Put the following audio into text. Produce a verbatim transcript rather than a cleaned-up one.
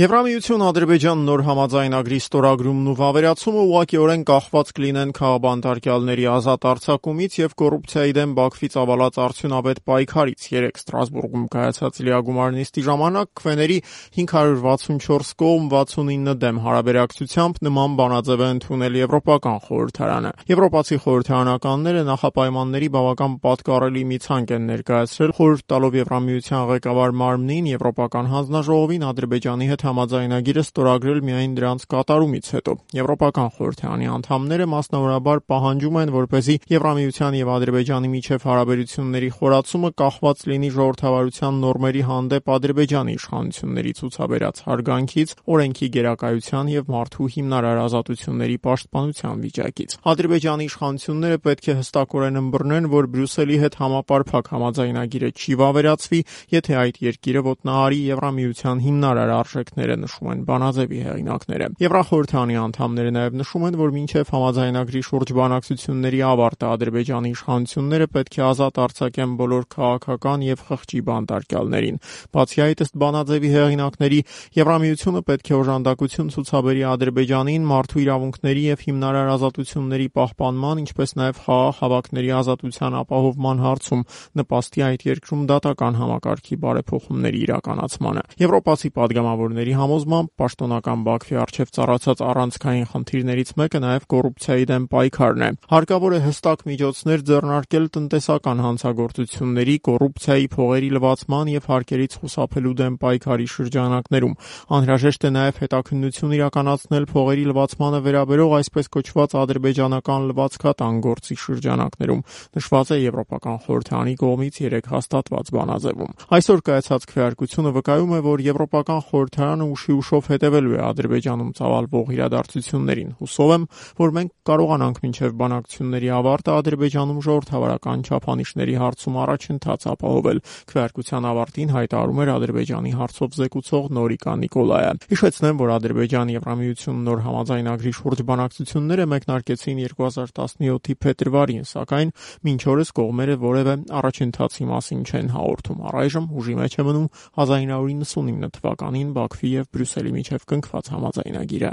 Եվրամիություն-Ադրբեջան նոր համաձայնագրի ստորագրումն ու վավերացումը ուղղակիորեն կախված կլինեն քաղաքաբանտարկյալների ազատ արձակումից եւ կոռուպցիայի դեմ Բաքվից ավալած արդյունավետ պայքարից։ Երեկ Ստրասբուրգում կայացած լիագումար նիստի ժամանակ քվեների հինգ հարյուր վաթսունչորս կողմ վաթսունինը դեմ հարաբերակցությամբ նման բանաձև է ընդունել Եվրոպական խորհրդարանը։ Եվրոպացի խորհրդարանականները նախապայմանների բավական պատկառելի մի ցանկ են ներկայացրել, խորհուրդ տալով Եվրամիության ղեկավար մարմնին Եվրոպական հանձնաժողովին Ադրբեջանի հետ համաձայնագիրը ստորագրել միայն դրանց կատարումից հետո։ Եվրոպական խորհրդարանի անդամները մասնավորաբար պահանջում են, որպեսզի Եվրամիության եւ Ադրբեջանի միջև հարաբերությունների խորացումը կախված լինի ժողովրդավարության նորմերի հանդեպ Ադրբեջանի իշխանությունների ցուցաբերած հարգանքից, օրենքի գերակայության եւ մարդու հիմնարար ազատությունների պաշտպանության վիճակից։ Ադրբեջանի իշխանությունները պետք է հստակորեն ըմբռնեն, որ Բրյուսելի հետ համապարփակ համաձայնագիրը չի վավերացվի, եթե այդ երկիրը ոտնահարի Եվրամիության հիմնարար արժեքները, նշում են բանաձևի հեղինակները։ Եվրախորհրդարանի անդամները նաև նշում են, որ մինչև համաձայնագրի շուրջ բանակցությունների ավարտը Ադրբեջանի իշխանությունները պետք է ազատ արձակեն բոլոր քաղաքական եւ խղճի բանտարկյալներին։ Բացի այդ, ըստ բանաձևի հեղինակների, Եվրամիությունը պետք է օժանդակություն ցուցաբերի Ադրբեջանին մարդու իրավունքների եւ հիմնարար ազատությունների պահպանման, ինչպես նաև խաղաղ հավաքների ազատության ապահովման հարցում նպաստի այդ երկրում դատական համակարգի բարեփոխումների իրականացմանը։ Եվրոպացի պատգամավորների համոզմամբ պաշտոնական Բաքվի առջև ծառացած առանցքային խնդիրներից մեկը նաև կոռուպցիայի դեմ պայքարն է։ Հարկավոր է հստակ միջոցներ ձեռնարկել տնտեսական հանցագործությունների, կոռուպցիայի, փողերի լվացման եւ հարկերից խուսափելու դեմ պայքարի շրջանակներում։ Անհրաժեշտ է նաև հետաքննություն իրականացնել փողերի լվացմանը վերաբերող այսպես կոչված ադրբեջանական լվացքատան գործի շրջանակներում, նշված է Եվրոպական խորհրդարանի կողմից երեկ հաստատված բանաձևում։ Այսօր կայացած քվեարկությունը վկայում է, որ Եվրոպական խորհրդարանը ուշի ուշով հետևելու է Ադրբեջանում ծավալվող իրադարձություններին։ Հուսով եմ, որ մենք կարողանանք մինչև բանակցությունների ավարտը Ադրբեջանում ժողովրդավարական չափանիշների հարցում առաջընթաց ապահովել, քվեարկության ավարտին հայտարարում էր Ադրբեջանի հարցով զեկուցող Նորիկա Նիկոլայը։ Հիշեցնեմ, որ Ադրբեջան-Եվրամիություն նոր համաձայնագրի շուրջ բանակցությունները մեկնարկեցին երկու հազար տասնյոթի փետրվարին, սակայն մինչ օրս կողմերը որևէ առաջընթացի մասին չեն հաղորդում։ Առայժմ ուժի մեջ է մնում հազար ինը հարյուր նվաթսունինը թվականին Բաքվի եւ Բրյուսելի միջև կնքված համաձայնագիրը։